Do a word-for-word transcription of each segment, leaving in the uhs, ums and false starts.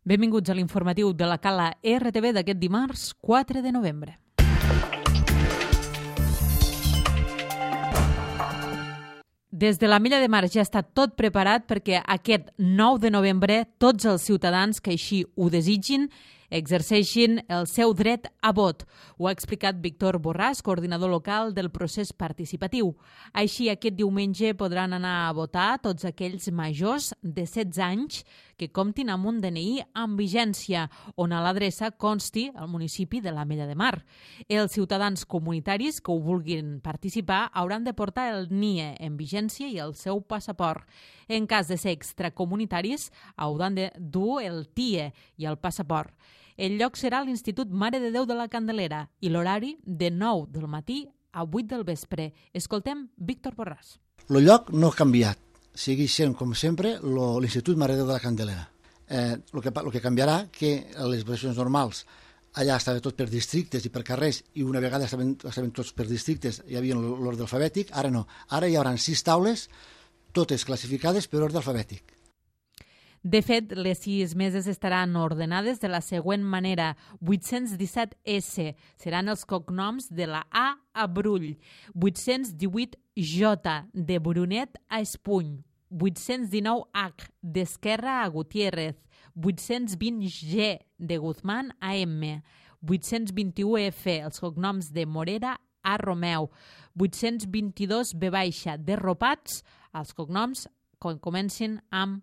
Benvinguts a l'informatiu de la Cala R T V d'aquest dimarts quatre de novembre. Des de la Mella de Mar ja està tot preparat perquè aquest nou de novembre tots els ciutadans que així ho desitgin exerceixin el seu dret a vot. Ho ha explicat Víctor Borràs, coordinador local del procés participatiu. Així, aquest diumenge podran anar a votar tots aquells majors de setze anys que comptin amb un D N I amb vigència, on a l'adreça consti el municipi de la Mella de Mar. Els ciutadans comunitaris que ho vulguin participar hauran de portar el N I E en vigència i el seu passaport. En cas de ser extracomunitaris, hauran de dur el T I E i el passaport. El lloc serà l'Institut Mare de Déu de la Candelera i l'horari de nou del matí a vuit del vespre. Escoltem Víctor Borràs. El lloc no ha canviat. Segueix sent, com sempre, l'Institut Mare de Déu de la Candelera. Eh, el, que, el que canviarà que a les votacions normals allà estava tot per districtes i per carrers i una vegada estaven, estaven tots per districtes, hi havia l'ordre alfabètic, ara no. Ara hi haurà sis taules, totes classificades per ordre alfabètic. De fet, les sis meses estaran ordenades de la següent manera. vuit-cents disset S seran els cognoms de la A a Brull, vuit-cents divuit J de Brunet a Espuny, vuit-cents dinou H d'Esquerra a Gutiérrez, vuit-cents vint G de Guzmán a M, vuit-cents vint-i-u F els cognoms de Morera a Romeu, vuit-cents vint-i-dos B baixa de Ropats, els cognoms que comencin amb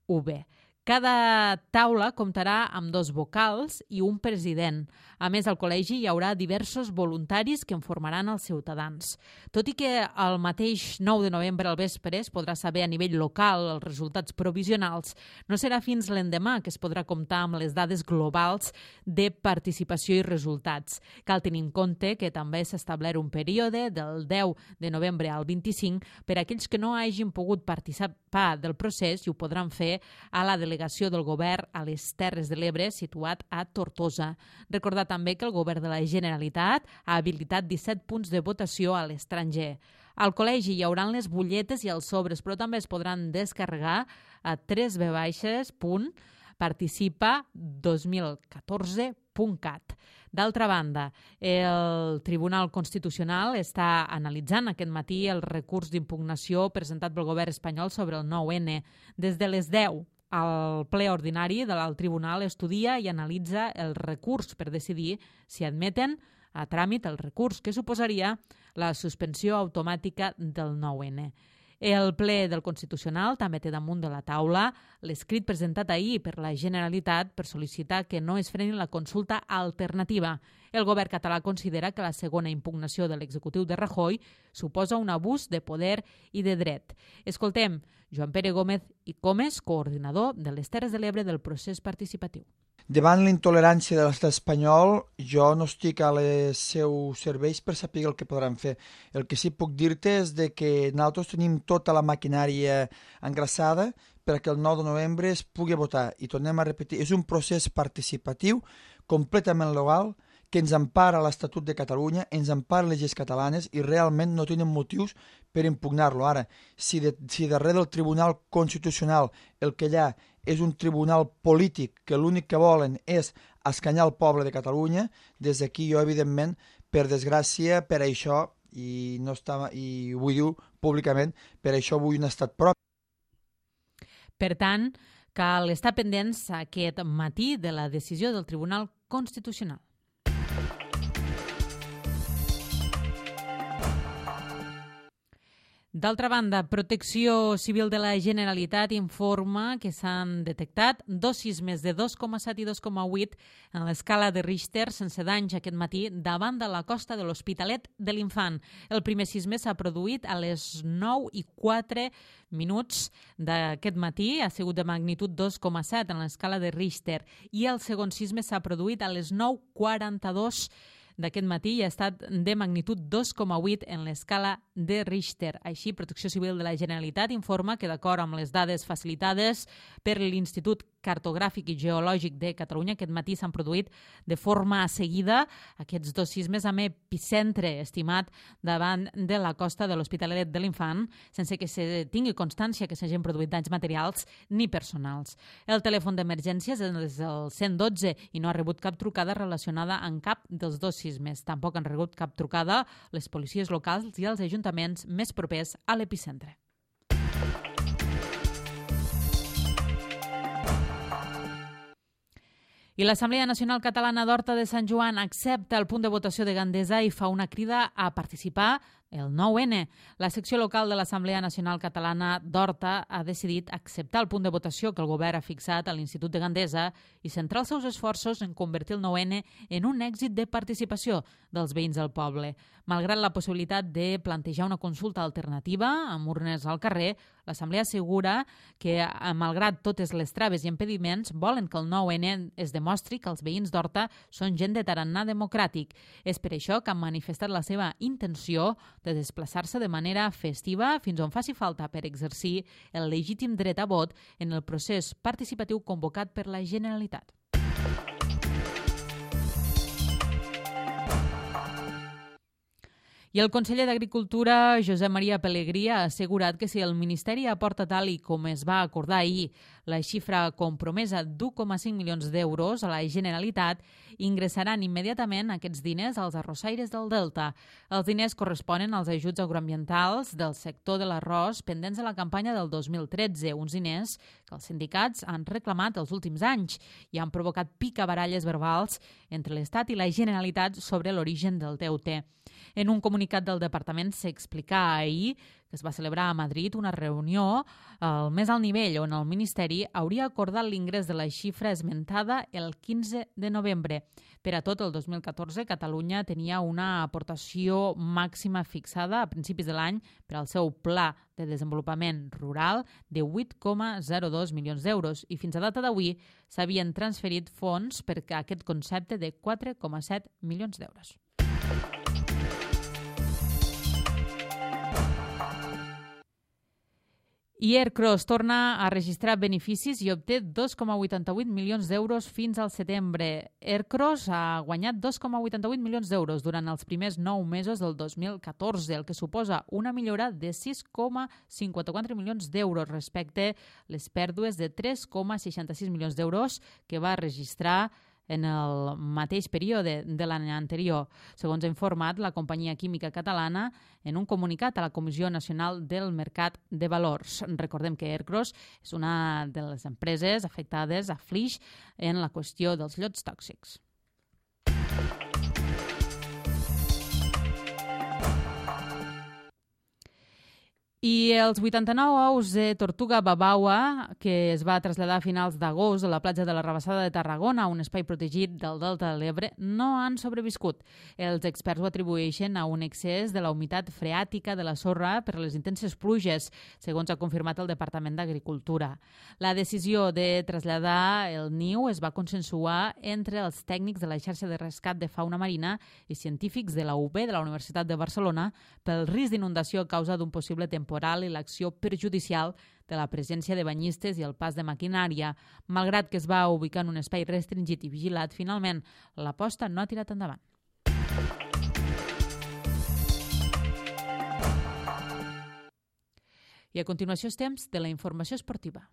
V. Cada taula comptarà amb dos vocals i un president. A més, al col·legi hi haurà diversos voluntaris que en formaran els ciutadans. Tot i que el mateix nou de novembre al vespre es podrà saber a nivell local els resultats provisionals, no serà fins l'endemà que es podrà comptar amb les dades globals de participació i resultats. Cal tenir en compte que també s'ha establert un període del deu de novembre al vint-i-cinc per a aquells que no hagin pogut participar del procés i ho podran fer a la delegació del govern a les Terres de l'Ebre, situat a Tortosa. Recordar també que el govern de la Generalitat ha habilitat disset punts de votació a l'estranger. Al col·legi hi haurà les butlletes i els sobres, però també es podran descarregar a tres ve baixes punt participa dos mil catorze punt cat. D'altra banda, el Tribunal Constitucional està analitzant aquest matí el recurs d'impugnació presentat pel govern espanyol sobre el nou ene. Des de les deu, el ple ordinari de l'alt tribunal estudia i analitza el recurs per decidir si admeten a tràmit el recurs, que suposaria la suspensió automàtica del nou ene. El ple del Constitucional també té damunt de la taula l'escrit presentat ahir per la Generalitat per sol·licitar que no es freni la consulta alternativa. El govern català considera que la segona impugnació de l'executiu de Rajoy suposa un abús de poder i de dret. Escoltem Joan Pere Gómez i Comes, coordinador de les Terres de l'Ebre del procés participatiu. Davant la intolerància de l'estat espanyol, jo no estic a les seus serveis per saber el que podran fer. El que sí puc dir-te és de que nosaltres tenim tota la maquinària engraçada perquè el nou de novembre es pugui votar. I tornem a repetir, és un procés participatiu completament legal que ens empara l'Estatut de Catalunya, ens empara les lleis catalanes i realment no tenen motius per impugnar-lo. Ara, si, de, si darrere del Tribunal Constitucional el que hi ha és un tribunal polític que l'únic que volen és escanyar el poble de Catalunya, des d'aquí jo, evidentment, per desgràcia, per això, i, no està, i ho vull dir públicament, per això vull un estat propi. Per tant, cal estar pendents aquest matí de la decisió del Tribunal Constitucional. D'altra banda, Protecció Civil de la Generalitat informa que s'han detectat dos sismes de dos coma set i dos coma vuit en l'escala de Richter sense danys aquest matí davant de la costa de l'Hospitalet de l'Infant. El primer sisme s'ha produït a les nou i quatre minuts d'aquest matí, ha sigut de magnitud dos coma set en l'escala de Richter, i el segon sisme s'ha produït a les nou i quaranta-dos d'aquest matí i ha estat de magnitud dos coma vuit en l'escala de Richter. Així, Protecció Civil de la Generalitat informa que, d'acord amb les dades facilitades per l'Institut Cartogràfic i Geològic de Catalunya. Aquest matí s'han produït de forma seguida aquests dos sismes amb epicentre estimat davant de la costa de l'Hospitalet de l'Infant, sense que se tingui constància que s'hagin produït danys materials ni personals. El telèfon d'emergències és el cent dotze i no ha rebut cap trucada relacionada amb cap dels dos sismes. Tampoc han rebut cap trucada les policies locals i els ajuntaments més propers a l'epicentre. I l'Assemblea Nacional Catalana d'Horta de Sant Joan accepta el punt de votació de Gandesa i fa una crida a participar el nou ene. La secció local de l'Assemblea Nacional Catalana d'Horta ha decidit acceptar el punt de votació que el govern ha fixat a l'Institut de Gandesa i centrar els seus esforços en convertir el nou ene en un èxit de participació dels veïns del poble. Malgrat la possibilitat de plantejar una consulta alternativa amb urnes al carrer, l'Assemblea assegura que, malgrat totes les traves i impediments, volen que el nou ene es demostri que els veïns d'Horta són gent de tarannà democràtic. És per això que han manifestat la seva intenció de desplaçar-se de manera festiva fins on faci falta per exercir el legítim dret a vot en el procés participatiu convocat per la Generalitat. I el conseller d'Agricultura, Josep Maria Pelegrí, ha assegurat que si el Ministeri aporta tal i com es va acordar ahir la xifra compromesa d'u coma cinc milions d'euros a la Generalitat, ingressaran immediatament aquests diners als arrossaires del Delta. Els diners corresponen als ajuts agroambientals del sector de l'arròs pendents de la campanya del dos mil tretze, uns diners que els sindicats han reclamat els últims anys i han provocat picabaralles verbals entre l'Estat i la Generalitat sobre l'origen del deute. En un comunicat del departament s'explicà ahir que es va celebrar a Madrid una reunió al més alt nivell on el Ministeri hauria acordat l'ingrés de la xifra esmentada el quinze de novembre. Per a tot el dos mil catorze, Catalunya tenia una aportació màxima fixada a principis de l'any per al seu Pla de Desenvolupament Rural de vuit coma zero dos milions d'euros i fins a data d'avui s'havien transferit fons per a aquest concepte de quatre coma set milions d'euros. I Aircross torna a registrar beneficis i obté dos coma vuitanta-vuit milions d'euros fins al setembre. Aircross ha guanyat dos coma vuitanta-vuit milions d'euros durant els primers nou mesos del dos mil catorze, el que suposa una millora de sis coma cinquanta-quatre milions d'euros respecte les pèrdues de tres coma seixanta-sis milions d'euros que va registrar en el mateix període de l'any anterior, segons ha informat la companyia química catalana en un comunicat a la Comissió Nacional del Mercat de Valors. Recordem que Aircross és una de les empreses afectades a Flix en la qüestió dels llots tòxics. I els vuitanta-nou ous de tortuga babaua, que es va traslladar a finals d'agost a la platja de la Rabassada de Tarragona, un espai protegit del Delta de l'Ebre, no han sobreviscut. Els experts ho atribueixen a un excés de la humitat freàtica de la sorra per les intenses pluges, segons ha confirmat el Departament d'Agricultura. La decisió de traslladar el niu es va consensuar entre els tècnics de la xarxa de rescat de fauna marina i científics de la U B de la Universitat de Barcelona pel risc d'inundació a causa d'un possible temporal temporal i l'acció perjudicial de la presència de banyistes i el pas de maquinària. Malgrat que es va ubicar en un espai restringit i vigilat, finalment l'aposta no ha tirat endavant. I a continuació és temps de la informació esportiva.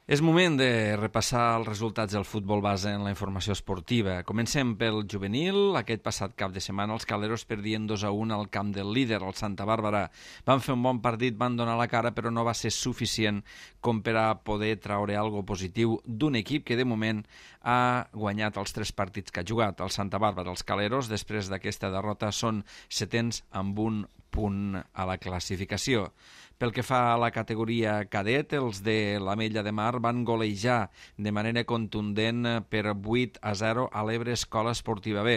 És moment de repassar els resultats del futbol base en la informació esportiva. Comencem pel juvenil. Aquest passat cap de setmana els caleros perdien dos a un al camp del líder, el Santa Bàrbara. Van fer un bon partit, van donar la cara, però no va ser suficient com per a poder traure algo positiu d'un equip que de moment ha guanyat els tres partits que ha jugat. El Santa Bàrbara, els caleros, després d'aquesta derrota, són setens amb un punt a la classificació. Pel que fa a la categoria cadet, els de l'Ametlla de Mar van golejar de manera contundent per vuit a zero a l'Ebre Escola Esportiva B.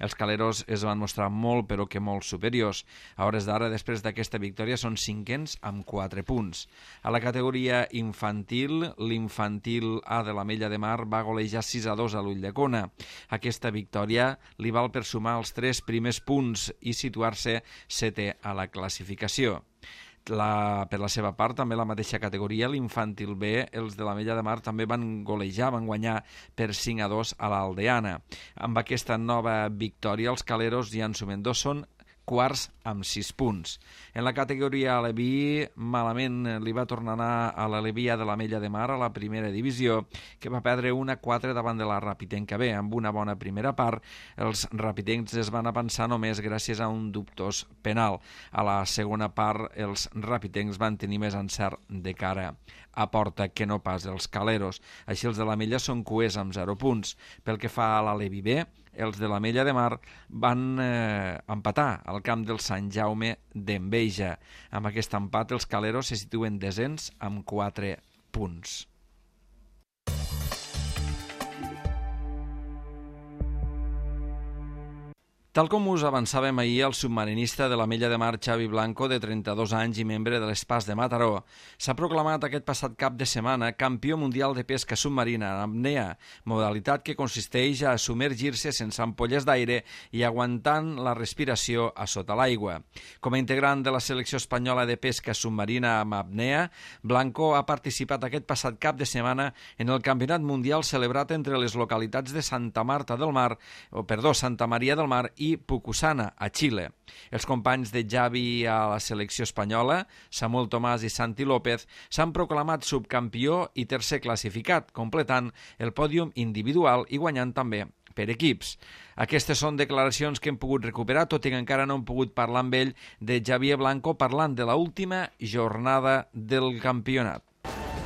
Els caleros es van mostrar molt, però que molt superiors. A hores d'ara, després d'aquesta victòria, són cinquens amb quatre punts. A la categoria infantil, l'infantil A de l'Ametlla de Mar va golejar sis a dos a l'Ulldecona. Aquesta victòria li val per sumar els tres primers punts i situar-se setè a la classificació. La, per la seva part, també la mateixa categoria, l'infantil B, els de l'Ametlla de Mar també van golejar, van guanyar per cinc a dos a l'Aldeana. Amb aquesta nova victòria, els caleros ja en sumen dos, són quarts amb sis punts. En la categoria Aleví, malament li va tornar a anar a l'Alevia de l'Ametlla de Mar a la primera divisió, que va perdre un a quatre davant de la Rapitenca B. Amb una bona primera part, els rapitencs es van avançar només gràcies a un dubtós penal. A la segona part, els rapitencs van tenir més encert de cara a porta que no pas els caleros. Així els de l'Ametlla són cuers amb zero punts. Pel que fa a l'Aleví B, els de l'Ametlla de Mar van eh, empatar al camp del Sant Jaume d'Enveja. Amb aquest empat, els caleros se situen desens amb quatre punts. Tal com us avançàvem ahir, el submarinista de l'Ametlla de Mar, Xavi Blanco, de trenta-dos anys i membre de l'Espas de Mataró, s'ha proclamat aquest passat cap de setmana campió mundial de pesca submarina en apnea, modalitat que consisteix a submergir-se sense ampolles d'aire i aguantant la respiració a sota l'aigua. Com a integrant de la selecció espanyola de pesca submarina amb apnea, Blanco ha participat aquest passat cap de setmana en el Campionat Mundial celebrat entre les localitats de Santa Marta del Mar, o perdó, Santa Maria del Mar i Pucusana, a Xile. Els companys de Xavi a la selecció espanyola, Samuel Tomàs i Santi López, s'han proclamat subcampió i tercer classificat, completant el pòdium individual i guanyant també per equips. Aquestes són declaracions que hem pogut recuperar, tot i que encara no hem pogut parlar amb ell, de Xavier Blanco parlant de la última jornada del campionat.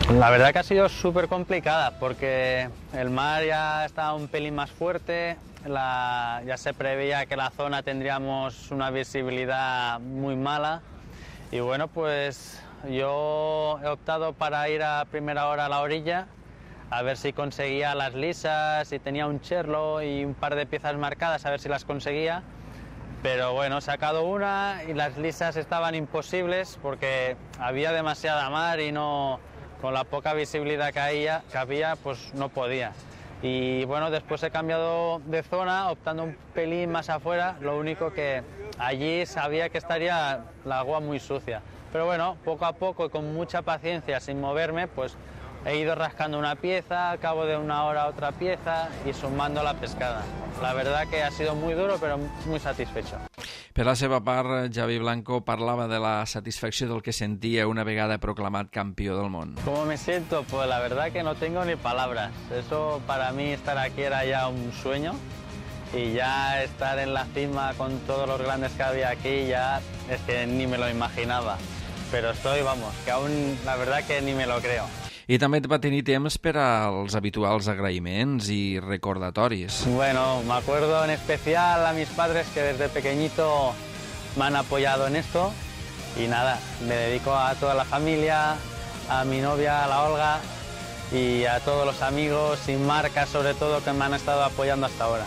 La verdad que ha sido súper complicada porque el mar ya está un pelín más fuerte, la, ya se preveía que la zona tendríamos una visibilidad muy mala y bueno, pues yo he optado para ir a primera hora a la orilla a ver si conseguía las lisas, si tenía un cherlo y un par de piezas marcadas, a ver si las conseguía. Pero bueno, he sacado una y las lisas estaban imposibles porque había demasiada mar y no, con la poca visibilidad que había, que había, pues no podía. Y bueno, después he cambiado de zona, optando un pelín más afuera, lo único que allí sabía que estaría la agua muy sucia. Pero bueno, poco a poco y con mucha paciencia, sin moverme, pues he ido rascando una pieza, al cabo de una hora otra pieza y sumando la pescada. La verdad que ha sido muy duro, pero muy satisfecho. Per la seva part, Xavi Blanco parlava de la satisfacció del que sentia una vegada proclamat campió del món. ¿Cómo me siento? Pues la verdad que no tengo ni palabras. Eso para mí estar aquí era ya un sueño y ya estar en la cima con todos los grandes que había aquí ya es que ni me lo imaginaba. Pero estoy, vamos, que aún la verdad que ni me lo creo. I també va tenir temps per als habituals agraïments i recordatoris. Bueno, me acuerdo en especial a mis padres que desde pequeñito me han apoyado en esto y nada, me dedico a toda la familia, a mi novia, a la Olga y a todos los amigos y marcas sobre todo que me han estado apoyando hasta ahora.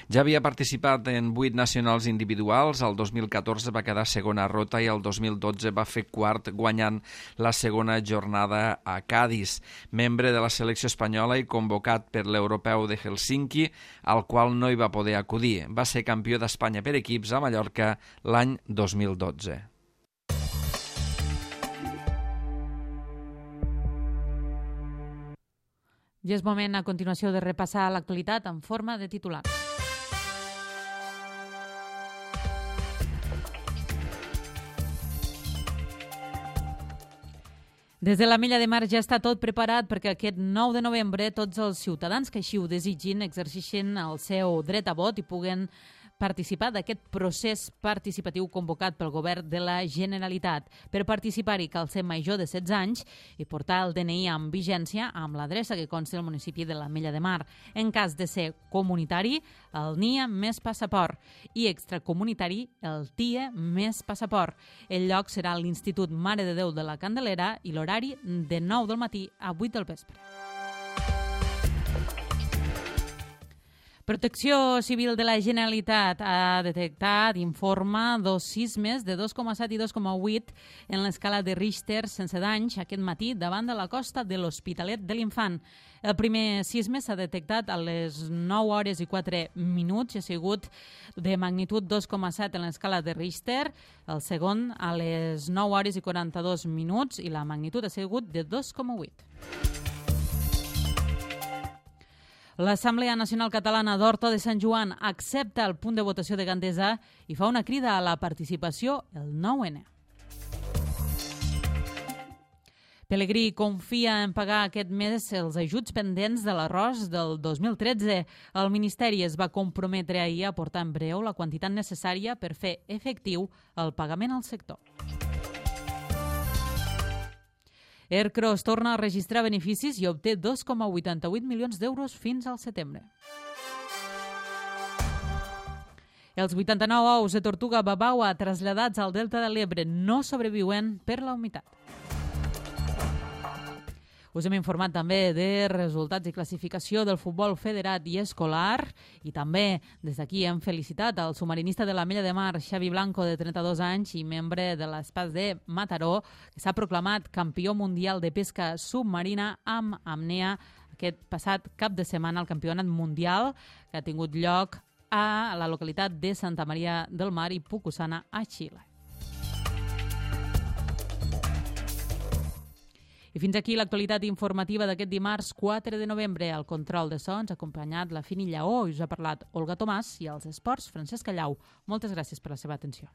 Ja havia participat en vuit nacionals individuals, el dos mil catorze va quedar segona rota i el dos mil dotze va fer quart guanyant la segona jornada a Cadis. Membre de la selecció espanyola i convocat per l'Europeu de Helsinki, al qual no hi va poder acudir. Va ser campió d'Espanya per equips a Mallorca l'any dos mil dotze. I és moment a continuació de repassar l'actualitat en forma de titulars. Des de l'Ametlla de Mar ja està tot preparat perquè aquest nou de novembre tots els ciutadans que així ho desitgin exerceixin el seu dret a vot i puguen participar d'aquest procés participatiu convocat pel govern de la Generalitat. Per participar-hi cal ser major de setze anys i portar el D N I amb vigència amb l'adreça que consta al municipi de l'Ametlla de Mar. En cas de ser comunitari, el N I A més passaport i extracomunitari, el T I E més passaport. El lloc serà l'Institut Mare de Déu de la Candelera i l'horari de nou del matí a vuit del vespre. Protecció Civil de la Generalitat ha detectat, informa, dos sismes de dos coma set i dos coma vuit en l'escala de Richter sense danys aquest matí davant de la costa de l'Hospitalet de l'Infant. El primer sisme s'ha detectat a les nou hores i quatre minuts i ha sigut de magnitud dos coma set en l'escala de Richter, el segon a les nou hores i quaranta-dos minuts i la magnitud ha sigut de dos coma vuit. L'Assemblea Nacional Catalana d'Horta de Sant Joan accepta el punt de votació de Gandesa i fa una crida a la participació el nou ene. Pelegrí confia en pagar aquest mes els ajuts pendents de l'arròs del dos mil tretze. El Ministeri es va comprometre ahir a aportar en breu la quantitat necessària per fer efectiu el pagament al sector. Ercros torna a registrar beneficis i obté dos coma vuitanta-vuit milions d'euros fins al setembre. Els vuitanta-nou ous de tortuga babaua traslladats al Delta de l'Ebre no sobreviuen per la humitat. Us hem informat també de resultats i classificació del futbol federat i escolar i també des d'aquí hem felicitat el submarinista de l'Ametlla de Mar, Xavi Blanco, de trenta-dos anys i membre de l'Espas de Mataró, que s'ha proclamat campió mundial de pesca submarina amb apnea aquest passat cap de setmana al campionat mundial que ha tingut lloc a la localitat de Santa Maria del Mar i Pucusana, a Xile. I fins aquí l'actualitat informativa d'aquest dimarts quatre de novembre. Al control de sons ha acompanyat la Fini Lleó i us ha parlat Olga Tomàs i als esports Francesc Callau. Moltes gràcies per la seva atenció.